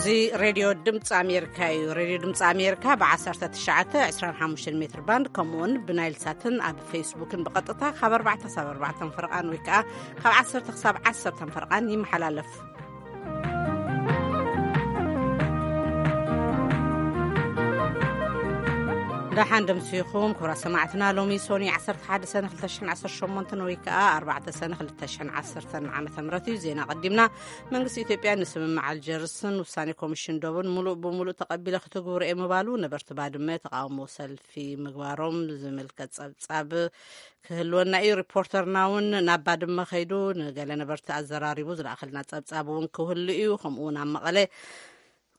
እዚ ሬድዮ ድምፂ ኣሜሪካ እዩ። ሬድዮ ድምፂ ኣሜሪካ ብ19፣ 25 ሜትር ባንድ፣ ከምኡውን ብናይል ሳትን ኣብ ፌስቡክን ብቐጥታ ካብ ኣርባዕተ ሳብ ኣርባዕተ ፈርቓን ወይ ከዓ ካብ ዓሰርተ ክሳብ ዓሰርተ ፈርቓን ይመሓላለፍ። ደሓን ደምሲኹም ክቡራት ሰማዕትና። ሎሚ ሶኒ ዓሰርተ ሓደ ሰነ ክልተ ሽሕን ዓሰርተ ሸሞንተን ወይ ከዓ ኣርባዕተ ሰነ ክልተ ሽሕን ዓሰርተን ዓመተ ምህረት እዩ። ዜና ቀዲምና። መንግስቲ ኢትዮጵያ ንስምምዕ ኣልጀርስን ውሳኔ ኮሚሽን ዶብን ሙሉእ ብሙሉእ ተቐቢለ ክትግብሮ እየ ምባሉ ነበርቲ ባድመ ተቃውሞ ሰልፊ ምግባሮም ዝምልከት ጸብጻብ ክህልወና እዩ። ሪፖርተርና እውን ናብ ባድመ ከይዱ ንገለ ነበርቲ ኣዘራሪቡ ዝለኣኸልና ጸብጻብ እውን ክህሉ እዩ። ከምኡ እውን ኣብ መቐለ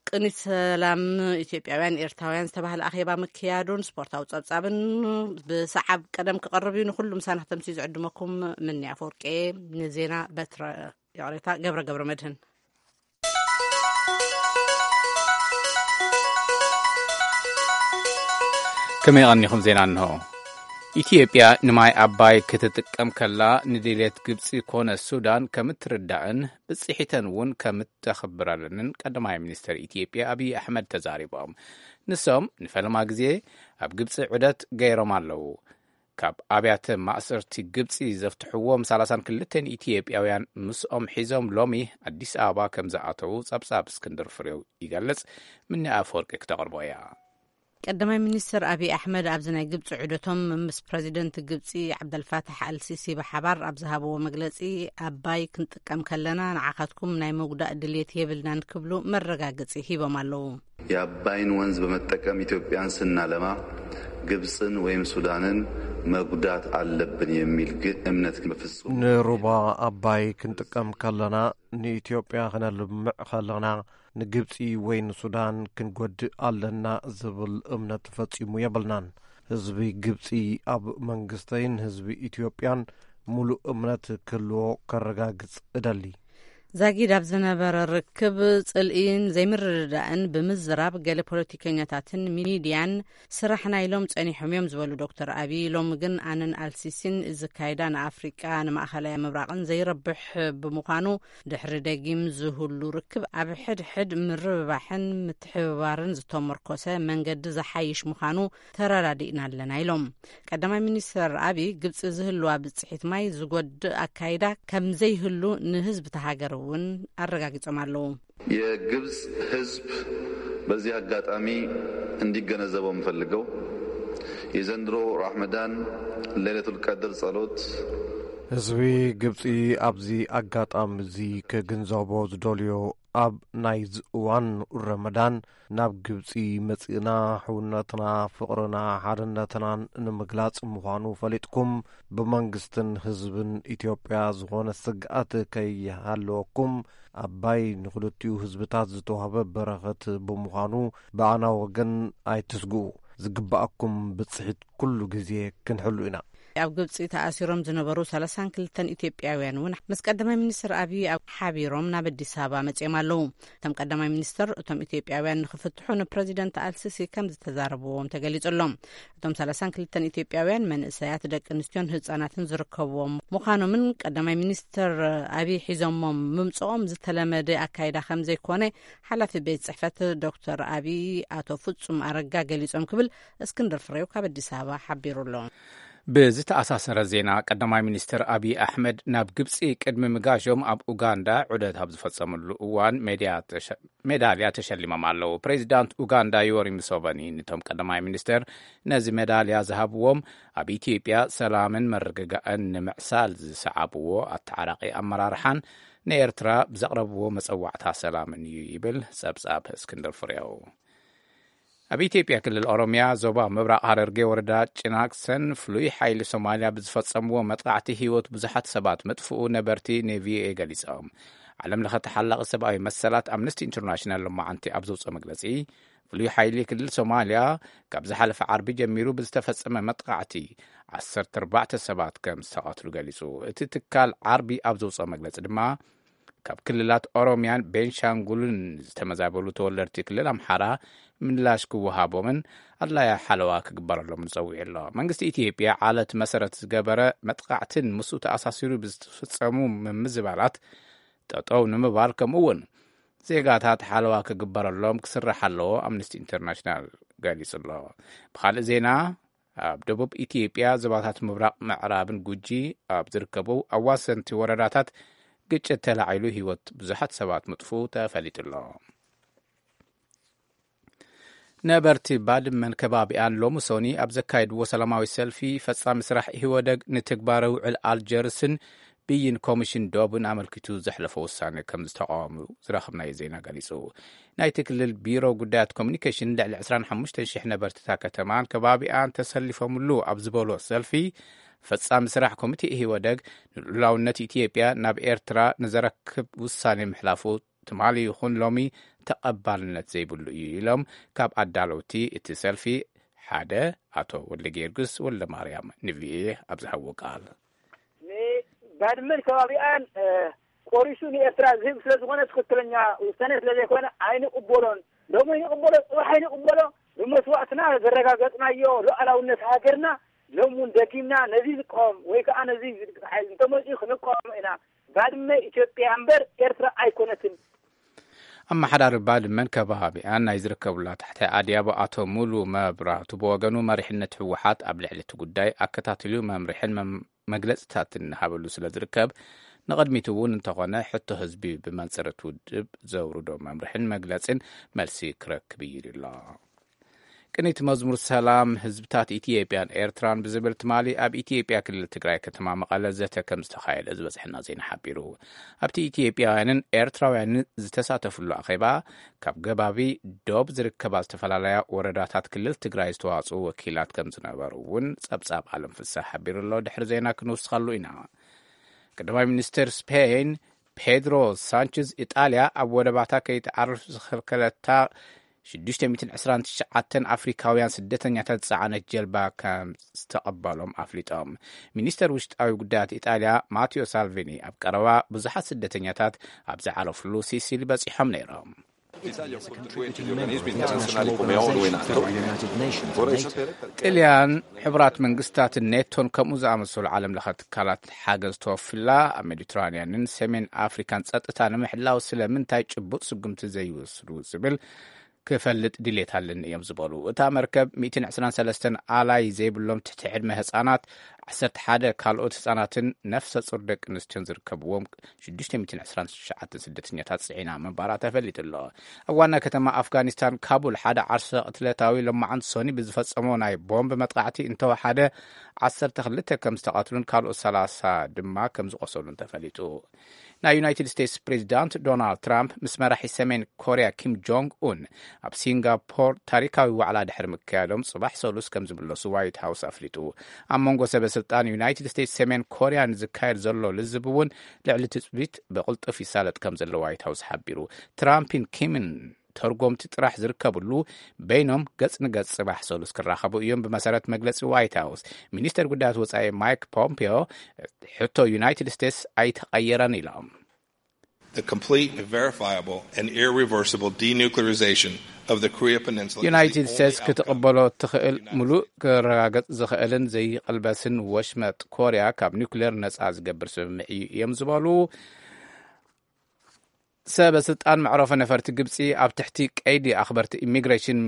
ቅኒት ሰላም ኢትዮጵያውያን ኤርትራውያን ዝተባህለ ኣኼባ ምክያዱን ስፖርታዊ ጸብጻብን ብሰዓብ ቀደም ክቐርብ እዩ። ንኹሉ ምሳና ክተምሲ ዝዕድመኩም ምኒ ኣፈወርቂ። ንዜና በትረ፣ ይቕሬታ፣ ገብረ ገብረ መድህን። ከመይ ቀኒኹም? ዜና እንሆ። ኢትዮጵያ ንማይ ኣባይ ክትጥቀም ከላ ንድሌት ግብፂ ኮነ ሱዳን ከም እትርዳእን ብፅሒተን እውን ከም እተኽብረለንን ቀዳማይ ሚኒስትር ኢትዮጵያ ኣብይ ኣሕመድ ተዛሪቦም። ንሶም ንፈለማ ግዜ ኣብ ግብፂ ዑደት ገይሮም ኣለዉ። ካብ ኣብያተ ማእሰርቲ ግብፂ ዘፍትሕዎም ሰላሳን ክልተን ኢትዮጵያውያን ምስኦም ሒዞም ሎሚ ኣዲስ ኣበባ ከም ዝኣተዉ ጸብጻብ እስክንድር ፍሬው ይገልጽ። ምኒ ኣፈወርቂ ክተቕርቦ እያ። ቀዳማይ ሚኒስትር ኣብይ ኣሕመድ ኣብዚ ናይ ግብፂ ዑደቶም ምስ ፕረዚደንት ግብፂ ዓብደልፋታሕ ኣልሲሲ ብሓባር ኣብ ዝሃብዎ መግለፂ፣ ኣባይ ክንጥቀም ከለና ንዓኻትኩም ናይ ምጉዳእ ድሌት የብልናን ክብሉ መረጋገፂ ሂቦም ኣለዉ። የአባይን ወንዝ በመጠቀም ኢትዮጵያን ስናለማ ግብፅን ወይም ሱዳንን መጉዳት አለብን የሚል ግን እምነት ግን በፍጹም ንሩባ ኣባይ ክንጥቀም ከለና፣ ንኢትዮጵያ ክነልምዕ ከለና፣ ንግብፂ ወይ ንሱዳን ክንጎድእ ኣለና ዝብል እምነት ፈጺሙ የብልናን። ህዝቢ ግብፂ ኣብ መንግስተይን ህዝቢ ኢትዮጵያን ሙሉእ እምነት ክህልዎ ከረጋግጽ እደሊ። ዛጊድ ኣብ ዝነበረ ርክብ ጽልኢን ዘይምርድዳእን ብምዝራብ፣ ገለ ፖለቲከኛታትን ሚድያን ስራሕና ኢሎም ጸኒሖም እዮም ዝበሉ ዶክተር ኣቢይ፣ ሎሚ ግን ኣነን ኣልሲሲን ዝካይዳ ንኣፍሪቃ ንማእኸላይ ምብራቕን ዘይረብሕ ብምዃኑ፣ ድሕሪ ደጊም ዝህሉ ርክብ ኣብ ሕድሕድ ምርብባሕን ምትሕብባርን ዝተመርኮሰ መንገዲ ዝሓይሽ ምዃኑ ተረዳዲእና ኣለና ኢሎም። ቀዳማይ ሚኒስትር ኣቢይ፣ ግብፂ ዝህልዋ ብፅሒት ማይ ዝጎድእ ኣካይዳ ከም ዘይህሉ ንህዝቢ እታ ሃገር እውን ኣረጋጊጾም ኣለዉ። የግብፅ ህዝብ በዚህ አጋጣሚ እንዲገነዘበው የምፈልገው የዘንድሮ ራመዳን ለይለቱል ቀድር ጸሎት ህዝቢ ግብፂ ኣብዚ ኣጋጣሚ እዚ ክግንዘቦ ዝደልዮ፣ ኣብ ናይዚ እዋን ረመዳን ናብ ግብፂ መፂእና ሕውነትና፣ ፍቕርና፣ ሓድነትናን ንምግላፅ ምዃኑ ፈሊጥኩም፣ ብመንግስትን ህዝብን ኢትዮጵያ ዝኾነ ስግኣት ከይሃለወኩም፣ ኣባይ ንኽልቲኡ ህዝብታት ዝተዋህበ በረኸት ብምዃኑ ብኣና ወገን ኣይትስግኡ። ዝግባኣኩም ብፅሒት ኩሉ ግዜ ክንሕሉ ኢና። ኣብ ግብፂ ተኣሲሮም ዝነበሩ ሰላሳን ክልተን ኢትዮጵያውያን እውን ምስ ቀዳማይ ሚኒስትር ኣቢይ ኣብ ሓቢሮም ናብ ኣዲስ ኣበባ መፂኦም ኣለዉ። እቶም ቀዳማይ ሚኒስትር፣ እቶም ኢትዮጵያውያን ንክፍትሑ ንፕረዚደንት ኣልሲሲ ከም ዝተዛረብዎም ተገሊጹ ኣሎ። እቶም ሰላሳን ክልተን ኢትዮጵያውያን መንእሰያት፣ ደቂ ኣንስትዮን ህጻናትን ዝርከብዎም ምዃኖምን ቀዳማይ ሚኒስትር ኣቢይ ሒዞሞም ምምጽኦም ዝተለመደ ኣካይዳ ከም ዘይኮነ ሓላፊ ቤት ጽሕፈት ዶክተር ኣቢይ ኣቶ ፍጹም ኣረጋ ገሊጾም ክብል እስክንድር ፍሬው ካብ ኣዲስ ኣበባ ሓቢሩ ኣሎ። ብዝተኣሳሰረ ዜና፣ ቀዳማይ ሚኒስትር ኣቢይ ኣሕመድ ናብ ግብጺ ቅድሚ ምጋሾም ኣብ ኡጋንዳ ዑደት ኣብ ዝፈጸምሉ እዋን ሜድያ ተሸ-፣ ሜዳልያ ተሸሊሞም ኣለዉ። ፕሬዚዳንት ኡጋንዳ ዮወሪ ሙሴቨኒ ንቶም ቀዳማይ ሚኒስትር ነዚ ሜዳልያ ዝሃብዎም፣ ኣብ ኢትዮጵያ ሰላምን ምርግጋእን ንምዕሳል ዝሰዓብዎ ኣተዓራቂ ኣመራርሓን ንኤርትራ ብዘቕረብዎ መጸዋዕታ ሰላምን እዩ ይብል ጸብጻብ እስክንድር ፍሬው። ኣብ ኢትዮጵያ ክልል ኦሮሚያ ዞባ ምብራቕ ሐረርጌ ወረዳ ጭናክሰን ፍሉይ ሓይሊ ሶማልያ ብዝፈጸምዎ መጥቃዕቲ ህይወት ብዙሓት ሰባት ምጥፍኡ ነበርቲ ንቪኦኤ ገሊጾም። ዓለም ለኸ ተሓላቒ ሰብኣዊ መሰላት ኣምነስቲ ኢንተርናሽናል ሎማዓንቲ ኣብ ዘውፅኦ መግለጺ፣ ፍሉይ ሓይሊ ክልል ሶማልያ ካብ ዝሓለፈ ዓርቢ ጀሚሩ ብዝተፈጸመ መጥቃዕቲ ዓሰርተ ኣርባዕተ ሰባት ከም ዝተቐትሉ ገሊጹ። እቲ ትካል ዓርቢ ኣብ ዘውፅኦ መግለጺ ድማ፣ ካብ ክልላት ኦሮሚያን ቤንሻንጉልን ዝተመዛበሉ ተወለድቲ ክልል ኣምሓራ ምላሽ ክወሃቦምን ኣድላያ ሓለዋ ክግበረሎምን ጸዊዑ ኣሎ። መንግስቲ ኢትዮጵያ ዓለት መሰረት ዝገበረ መጥቃዕትን ምስኡ ተኣሳሲሩ ብዝተፈጸሙ ምምዝባላት ጠጠው ንምባል፣ ከምኡ እውን ዜጋታት ሓለዋ ክግበረሎም ክስራሕ ኣለዎ፣ ኣምነስቲ ኢንተርናሽናል ገሊጹ ኣሎ። ብኻልእ ዜና፣ ኣብ ደቡብ ኢትዮጵያ ዞባታት ምብራቕ ምዕራብን ጉጂ ኣብ ዝርከቡ ኣዋሰንቲ ወረዳታት ግጭት ተላዒሉ ህይወት ብዙሓት ሰባት ምጥፉ ተፈሊጡ ኣሎ። ነበርቲ ባድመን ከባቢኣን ሎሚ ሶኒ ኣብ ዘካየድዎ ሰላማዊ ሰልፊ፣ ፈጻሚ ስራሕ ኢህወደግ ንትግባረ ውዕል ኣልጀርስን ብይን ኮሚሽን ዶብን ኣመልኪቱ ዘሕለፎ ውሳኔ ከም ዝተቃወሙ ዝረኸብናዮ ዜና ገሊጹ። ናይቲ ክልል ቢሮ ጉዳያት ኮሚኒኬሽን፣ ልዕሊ ዕስራን ሓሙሽተን ሽሕ ነበርቲ እታ ከተማን ከባቢኣን ተሰሊፎምሉ ኣብ ዝበሎ ሰልፊ፣ ፈጻሚ ስራሕ ኮሚቴ ኢህወደግ ንልዑላውነት ኢትዮጵያ ናብ ኤርትራ ንዘረክብ ውሳኔ ምሕላፉ ትማሊ ይኹን ሎሚ ተቐባልነት ዘይብሉ እዩ ኢሎም ካብ ኣዳለውቲ እቲ ሰልፊ ሓደ ኣቶ ወልደ ጊዮርጊስ ወልደ ማርያም ንቪኤ ኣብ ዝሃብዎ ቃል። ንባድመን ከባቢኣን ቆሪሱ ንኤርትራ ዝህብ ስለ ዝኾነ፣ ትኽክለኛ ውሳኔ ስለ ዘይኮነ ኣይንቕበሎን። ሎሚ ይንቕበሎ፣ ጽባሕ ኣይንቕበሎ። ብመስዋእትና ዘረጋገጽናዮ ሉዓላውነት ሃገርና ሎም እውን ደጊምና ነዚ ዝቃወም ወይ ከዓ ነዚ ዝድግፍ ሓይል እንተመፅኡ ክንቃወሞ ኢና። ባድመ ኢትዮጵያ እምበር ኤርትራ ኣይኮነትን። ኣመሓዳሪ ባድመን ከባቢኣን ናይ ዝርከቡላ ታሕታይ ኣድያቦ ኣቶ ሙሉ መብራቱ ብወገኑ፣ መሪሕነት ህወሓት ኣብ ልዕሊ እቲ ጉዳይ ኣከታቲሉ መምርሕን መም- መግለጽታትን እናሃበሉ ስለ ዝርከብ፣ ንቕድሚት እውን እንተኾነ ሕቶ ህዝቢ ብመንጽር እቲ ውድብ ዘውርዶ መምርሕን መግለጽን መልሲ ክረክብ እዩ ኢሉ ኣሎ። ቅኒት መዝሙር ሰላም ህዝብታት ኢትዮጵያን ኤርትራን ብዝብል ትማሊ ኣብ ኢትዮጵያ ክልል ትግራይ ከተማ መቐለ ዘተ ከም ዝተኻየደ ዝበጽሐና ዜና ሓቢሩ። ኣብቲ ኢትዮጵያውያንን ኤርትራውያንን ዝተሳተፍሉ ኣኼባ፣ ካብ ገባቢ ዶብ ዝርከባ ዝተፈላለያ ወረዳታት ክልል ትግራይ ዝተዋጽኡ ወኪላት ከም ዝነበሩ እውን ጸብጻብ ኣለም ፍስሐ ሓቢሩ ኣሎ። ድሕሪ ዜና ክንውስኸሉ ኢና። ቀዳማይ ሚኒስትር ስፔን ፔድሮ ሳንችዝ፣ ኢጣልያ ኣብ ወደባታ ከይትዓርፍ ዝኸልከለታ ሽዱሽተ ሚእትን ዕስራን ትሽዓተን ኣፍሪካውያን ስደተኛታት ዝጸዓነት ጀልባ ከም ዝተቐበሎም ኣፍሊጦም። ሚኒስተር ውሽጣዊ ጉዳያት ኢጣልያ ማቴዮ ሳልቪኒ፣ ኣብ ቀረባ ብዙሓት ስደተኛታት ኣብ ዝዓረፍሉ ሲሲሊ በጺሖም ነይሮም። ጥልያን፣ ሕቡራት መንግስታትን ኔቶን ከምኡ ዝኣመሰሉ ዓለም ለኸ ትካላት ሓገዝ ተወፍላ፣ ኣብ ሜዲትራንያንን ሰሜን ኣፍሪካን ጸጥታ ንምሕላው ስለምንታይ ጭቡጥ ስጉምቲ ዘይወስዱ ዝብል ክፈልጥ ድሌት ኣለኒ እዮም ዝበሉ። እታ መርከብ ሚእትን ዕስራን ሰለስተን ኣላይ ዘይብሎም ትሕቲ ዕድመ ህጻናት፣ ዓሰርተ ሓደ ካልኦት ህጻናትን ነፍሰ ጹር ደቂ ኣንስትዮን ዝርከብዎም ሽዱሽተ ሚእትን ዕስራን ትሽዓተን ስደተኛታት ጽዒና ምንባራ ተፈሊጡ ኣሎ። ኣብ ዋና ከተማ ኣፍጋኒስታን ካቡል ሓደ ዓርሰ ቅትለታዊ ሎማዓንቲ ሶኒ ብዝፈጸሞ ናይ ቦምብ መጥቃዕቲ እንተወሓደ ዓሰርተ ክልተ ከም ዝተቐትሉን ካልኦት ሰላሳ ድማ ከም ዝቆሰሉን ተፈሊጡ። ናይ ዩናይትድ ስቴትስ ፕሬዚዳንት ዶናልድ ትራምፕ ምስ መራሒ ሰሜን ኮርያ ኪም ጆንግ ኡን ኣብ ሲንጋፖር ታሪካዊ ዋዕላ ድሕሪ ምክያዶም፣ ጽባሕ ሰሉስ ከም ዝምለሱ ዋይት ሃውስ ኣፍሊጡ። ኣብ መንጎ ሰበ ስልጣን ዩናይትድ ስቴትስ ሰሜን ኮርያ ንዝካየድ ዘሎ ልዝብ እውን ልዕሊ ትጽቢት ብቕልጡፍ ይሳለጥ ከም ዘሎ ዋይት ሃውስ ሓቢሩ። ትራምፕን ኪምን ተርጎምቲ ጥራሕ ዝርከብሉ በይኖም ገጽ ንገጽ ጽባሕ ሰሉስ ክራኸቡ እዮም፣ ብመሰረት መግለጺ ዋይት ሃውስ። ሚኒስተር ጉዳያት ወጻኢ ማይክ ፖምፒዮ፣ ሕቶ ዩናይትድ ስቴትስ ኣይተቐየረን ኢሎም። The complete, verifiable, and irreversible denuclearization of the Korea Peninsula is ዩናይትድ the ስቴትስ only outcome. ክትቕበሎ እትኽእል፣ ሙሉእ ክረጋገጽ ዝኽእልን ዘይቕልበስን ወሽመጥ ኮርያ ካብ ኒውክሌር ነጻ ዝገብር ስምምዕ እዩ እዮም ዝበሉ ሰበ ስልጣን መዕረፎ ነፈርቲ ግብጺ፣ ኣብ ትሕቲ ቀይዲ ኣኽበርቲ ኢሚግሬሽን፣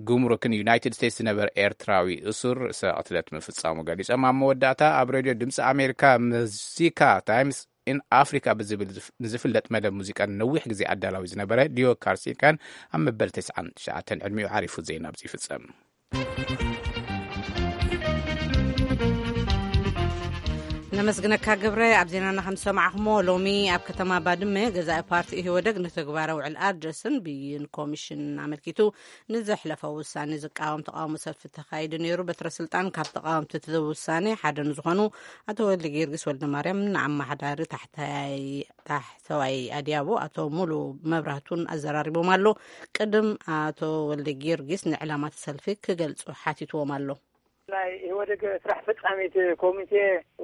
ጉምሩክን ዩናይትድ ስቴትስ ዝነበረ ኤርትራዊ እሱር ርእሰ ቅትለት ምፍጻሙ ገሊጾም። ኣብ መወዳእታ፣ ኣብ ሬድዮ ድምጺ ኣሜሪካ ሙዚካ ታይምስ ኢን ኣፍሪካ ብዝብል ዝፍ- ንዝፍለጥ መደብ ሙዚቃ ነዊሕ ግዜ ኣዳላዊ ዝነበረ ዲዮ ካርሲካን ኣብ መበል ተስዓን ትሽዓተን ዕድሚኡ ዓሪፉ። ዜና ኣብዚ ይፍጸም። ነመስግነካ ገብረ። ኣብ ዜናና ከም ዝሰማዕኹሞ፣ ሎሚ ኣብ ከተማ ባድመ ገዛኢ ፓርቲ ኢህወደግ ንተግባረ ውዕል ኣልጀርስን ብይን ኮሚሽን ኣመልኪቱ ንዘሕለፎ ውሳኔ ዝቃወም ተቃውሞ ሰልፊ ተኻይዱ ነይሩ። በትረ ስልጣን ካብ ተቃወምቲ እቲ ውሳኔ ሓደ ንዝኾኑ ኣቶ ወልደ ጊዮርጊስ ወልደ ማርያም፣ ንኣመሓዳሪ ታሕታይ ታሕተዋይ ኣድያቦ ኣቶ ሙሉ መብራህቱን ኣዘራሪቦም ኣሎ። ቅድም ኣቶ ወልደ ጊዮርጊስ ንዕላማት ሰልፊ ክገልጹ ሓቲትዎም ኣሎ። ናይ ኢህወደግ ስራሕ ፈጻሚት ኮሚቴ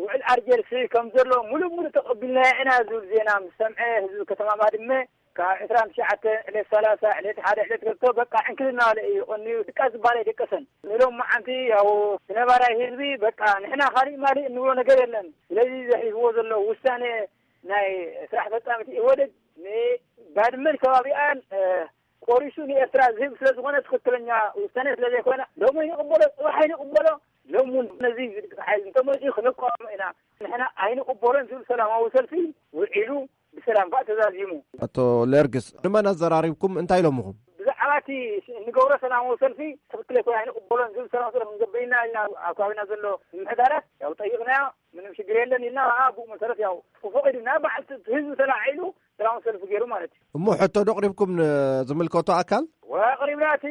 ውዕል ኣልጀርስ ከም ዘሎ ሙሉእ ሙሉእ ተቐቢልናዮ ኢና ዝብል ዜና ምስ ሰምዐ፣ ህዝቢ ከተማ ባድመ ካብ ዕስራን ትሽዓተ ዕለት ሰላሳ ዕለት ሓደ ዕለት ክልተ በቃ ዕንክልና በለ እዩ ቀንዩ። ድቃስ ዝበሃል ኣይደቀሰን። ንሎም መዓንቲ ያው ነባራይ ህዝቢ በቃ ንሕና ካሊእ ማሊእ እንብሎ ነገር የለን። ስለዚ ዘሕሊፍዎ ዘሎ ውሳኔ ናይ ስራሕ ፈጻሚት ኢህወደግ ንባድመን ከባቢኣን ቆሪሱ ንኤርትራ ዝህብ ስለ ዝኾነ ትኽክለኛ ውሳነ ስለ ዘይኮነ ሎም ኣይንቕበሎ፣ ፅባሕ ኣይንቕበሎ። ሎም እውን ነዚ ሓይል እንተመፅኡ ክንቃወሞ ኢና። ንሕና ኣይንቕበሎን ዝብል ሰላማዊ ሰልፊ ውዒሉ ብሰላም ከዓ ተዛዚሙ። ኣቶ ሌርግስ፣ ንመን ኣዘራሪብኩም? እንታይ ኢሎምኹም? ብዛዕባ እቲ እንገብሮ ሰላማዊ ሰልፊ ትኽክል ኣይኮነ ኣይንቕበሎን ዝብል ሰላማዊ ሰልፊ ክንገብር ኢና ኢልና ኣብ ከባቢና ዘሎ ምምሕዳራት ያው ጠይቕናዮ። ምንም ሽግር የለን ኢልና ከዓ ብኡ መሰረት ያው ተፈቒዱና በዓል ህዝቢ ተላዒሉ ሰላማዊ ሰልፊ ገይሩ ማለት እዩ። እሞ ሕቶ ዶ ኣቕሪብኩም ንዝምልከቶ ኣካል? ኣቕሪብና እቲ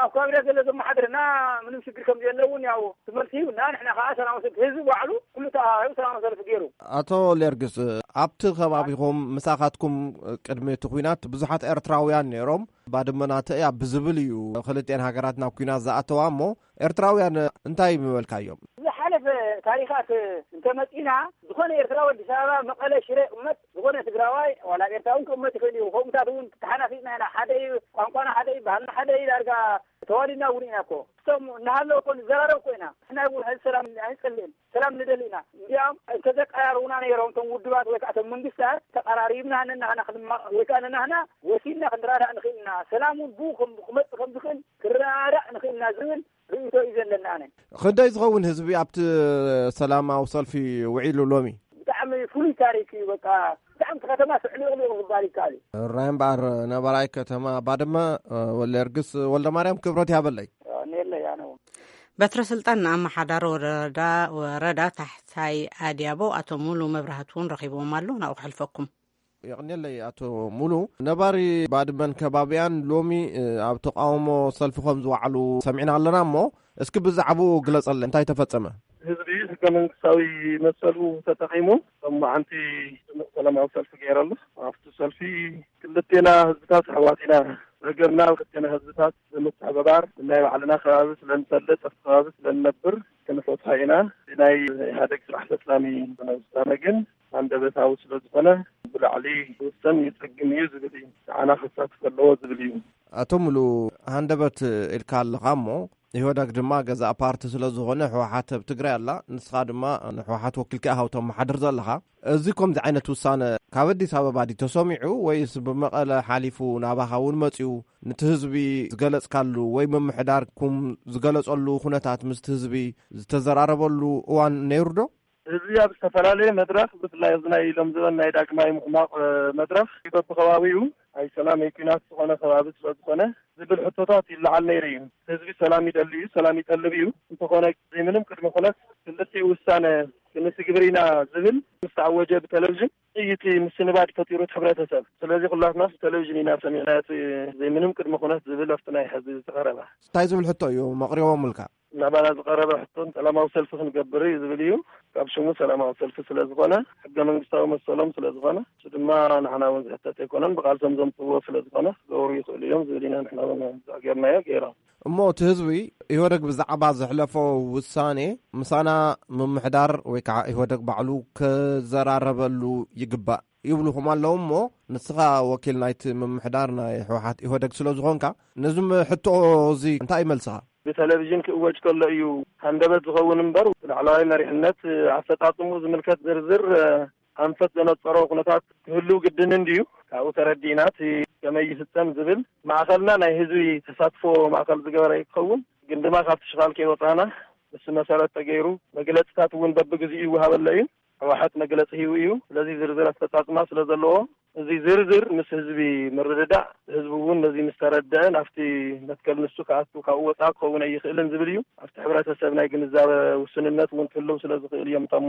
ኣብ ከባቢና ዘሎ ዘመሓድርና ምንም ሽግር ከም ዘለውን ያው ትመልሲ ሂብና። ንሕና ከዓ ሰላማዊ ሰልፊ ህዝቢ ባዕሉ ኩሉ ተኣሃዩ ሰላማዊ ሰልፊ ገይሩ። ኣቶ ሌርግስ፣ ኣብቲ ከባቢኹም ምሳኻትኩም ቅድሚ እቲ ኲናት ብዙሓት ኤርትራውያን ነይሮም። ባድመ ናተይ እያ ብዝብል እዩ ክልቲኤን ሃገራት ናብ ኲናት ዝኣተዋ። እሞ ኤርትራውያን እንታይ ምበልካዮም? ዝሓለፈ ታሪኻት እንተመጺና ዝኾነ ኤርትራዊ ኣዲስ ኣበባ፣ መቐለ፣ ሽረ ይቕመጥ፣ ዝኾነ ትግራዋይ ዋላ ኤርትራዊ እውን ክቕመጥ ይኽእል እዩ። ከምኡታት እውን ተሓናፊፅና ኢና። ሓደ እዩ ቋንቋና፣ ሓደ እዩ ባህልና፣ ሓደ እዩ ዳርጋ ተዋሊድና እውን ኢና እኮ። እቶም እናሃለዉ እኮ ንዘራረብ እኮ ኢና። ንሕና እውን ሕዚ ሰላም ኣይንጸልእን፣ ሰላም ንደሊ ኢና። እንዲያም እንተዘቀራርቡና ነይሮም እቶም ውድባት ወይ ከዓ እቶም መንግስታት ተቀራሪብና ነናህና ክንማ-፣ ወይ ከዓ ነናህና ወሲድና ክንረዳእ ንኽእል ኢና። ሰላም እውን ብኡ ከም-፣ ክመጽእ ከም ዝኽእል ክረዳእ ንኽእል ኢና ዝብል ርእይቶ እዩ ዘለና ኣነ። ክንደይ ዝኸውን ህዝቢ ኣብቲ ሰላማዊ ሰልፊ ውዒሉ ሎሚ? ብጣዕሚ ፍሉይ ታሪክ እዩ። በቃ ብጣዕሚ እቲ ከተማ ስዕልቕሊቕ ምባል ይከኣል እዩ። ራይ እምበኣር ነባራይ ከተማ ባድመ ወለርግስ ወልደማርያም ክብረት ያበለይ። እኔለይ ኣነ እውን። በትረ ስልጣን ንኣመሓዳሪ ወረዳ፣ ወረዳ ታሕታይ ኣድያቦ ኣቶ ሙሉ መብራህቱ እውን ረኺብዎም ኣሎ። ናብኡ ክሕልፈኩም። የቕንየለይ ኣቶ ሙሉ። ነባሪ ባድመን ከባቢያን ሎሚ ኣብ ተቃውሞ ሰልፊ ከም ዝወዓሉ ሰሚዕና ኣለና። እሞ እስኪ ብዛዕባኡ ግለጸለይ፣ እንታይ ተፈጸመ? ህዝቢ ህገ መንግስታዊ መሰሉ ተጠቂሙ ሎማዓንቲ ሰላማዊ ሰልፊ ገይረሉ። ኣብቲ ሰልፊ ክልቴና ህዝብታት ኣሕዋት ኢና። ጸገምና ክልቴና ህዝብታት ብምትሕብባር ናይ ባዕልና ከባቢ ስለ ንፈልጥ ኣብቲ ከባቢ ስለ ንነብር ክንፈትሖ ኢና። ናይ ኢህኣደግ ስራሕ ፈጻሚ ዝኾነ ውሳነ ግን ሃንደበታዊ ስለ ዝኾነ ብላዕሊ ዝውሰን ይጸግም እዩ ዝብል እዩ። ንዓና ክሳትፍ ኣለዎ ዝብል እዩ። ኣቶ ሙሉ፣ ሃንደበት ኢልካ ኣለኻ እሞ ኢህወደግ ድማ ገዛእ ፓርቲ ስለ ዝኾነ ህወሓት ኣብ ትግራይ ኣላ፣ ንስኻ ድማ ንህወሓት ወኪልካ ኢኻ ተመሓድር ዘለኻ። እዚ ከምዚ ዓይነት ውሳነ ካብ ኣዲስ ኣበባ ድዩ ተሰሚዑ ወይስ ብመቐለ ሓሊፉ ናባኻ እውን መፂኡ? ነቲ ህዝቢ ዝገለፅካሉ ወይ ምምሕዳርኩም ዝገለፀሉ ኩነታት ምስቲ ህዝቢ ዝተዘራረበሉ እዋን ነይሩ ዶ? ህዝቢ ኣብ ዝተፈላለየ መድረኽ ብፍላይ ኣብዚ ናይ ኢሎም ዝበል ናይ ዳግማይ ምሕማቕ መድረኽ በብከባቢኡ ኣይ ሰላም ኣይ ኲናት ዝኾነ ከባቢ ስለ ዝኾነ ዝብል ሕቶታት ይለዓል ነይሩ እዩ። ህዝቢ ሰላም ይደሊ እዩ፣ ሰላም ይጠልብ እዩ። እንተኾነ ዘይምንም ቅድመ ኩነት ክልቲኡ ውሳነ ክንትግብር ኢና ዝብል ምስ ተኣወጀ ብቴሌቪዥን ጥይት ምስንባድ ፈጢሩ እቲ ሕብረተሰብ። ስለዚ ኩላትና ብቴሌቪዥን ኢና ሰሚዕና እቲ ዘይምንም ቅድመ ኩነት ዝብል ኣብቲ ናይ ሕዚ ዝተቐረበ። እንታይ ዝብል ሕቶ እዩ መቕሪቦምልካ? ናባና ዝቐረበ ሕቶን ሰላማዊ ሰልፊ ክንገብር እዩ ዝብል እዩ። ካብ ሽሙ ሰላማዊ ሰልፊ ስለ ዝኾነ ሕገ መንግስታዊ መሰሎም ስለ ዝኾነ እሱ ድማ ንሕና እውን ዝሕተት ኣይኮነን። ብቃልሶም ዘምፅዎ ስለ ዝኾነ ክገብሩ ይኽእሉ እዮም ዝብል ኢና ንሕና እውን ዘዕገርናዮ ገይሮም። እሞ እቲ ህዝቢ ኢህወደግ ብዛዕባ ዘሕለፎ ውሳኔ ምሳና ምምሕዳር ወይ ከዓ ኢህወደግ ባዕሉ ክዘራረበሉ ይግባእ ይብሉኹም ኣለዉ። እሞ ንስኻ ወኪል ናይቲ ምምሕዳር ናይ ህወሓት ኢህወደግ ስለ ዝኾንካ ነዚ ሕቶ እዚ እንታይ ይመልስኻ? ብቴሌቪዥን ክእወጅ ከሎ እዩ ሃንደበት ዝኸውን እምበር ላዕለዋይ መሪሕነት ኣፈጻጽሙ ዝምልከት ዝርዝር ኣንፈት ዘነጸሮ ኩነታት ክህልው ግድን እንድዩ። ካብኡ ተረዲእና እቲ ከመይ ይፍጸም ዝብል ማእኸልና ናይ ህዝቢ ተሳትፎ ማእኸል ዝገበረ ይኸውን። ግን ድማ ካብቲ ሽኻል ከይወፃና ንሱ መሰረት ተገይሩ መግለፅታት እውን በብግዚኡ ይወሃበሎ እዩ። ህወሓት መግለፂ ሂቡ እዩ። ስለዚ ዝርዝር ኣፈፃፅማ ስለ ዘለዎ እዚ ዝርዝር ምስ ህዝቢ ምርድዳእ ህዝቢ እውን ነዚ ምስ ተረደአ ናብቲ መትከል ንሱ ክኣቱ ካብኡ ወፃኢ ክኸውን ኣይኽእልን ዝብል እዩ። ኣብቲ ሕብረተሰብ ናይ ግንዛበ ውስንነት እውን ክህልው ስለ ዝኽእል እዮም እቶም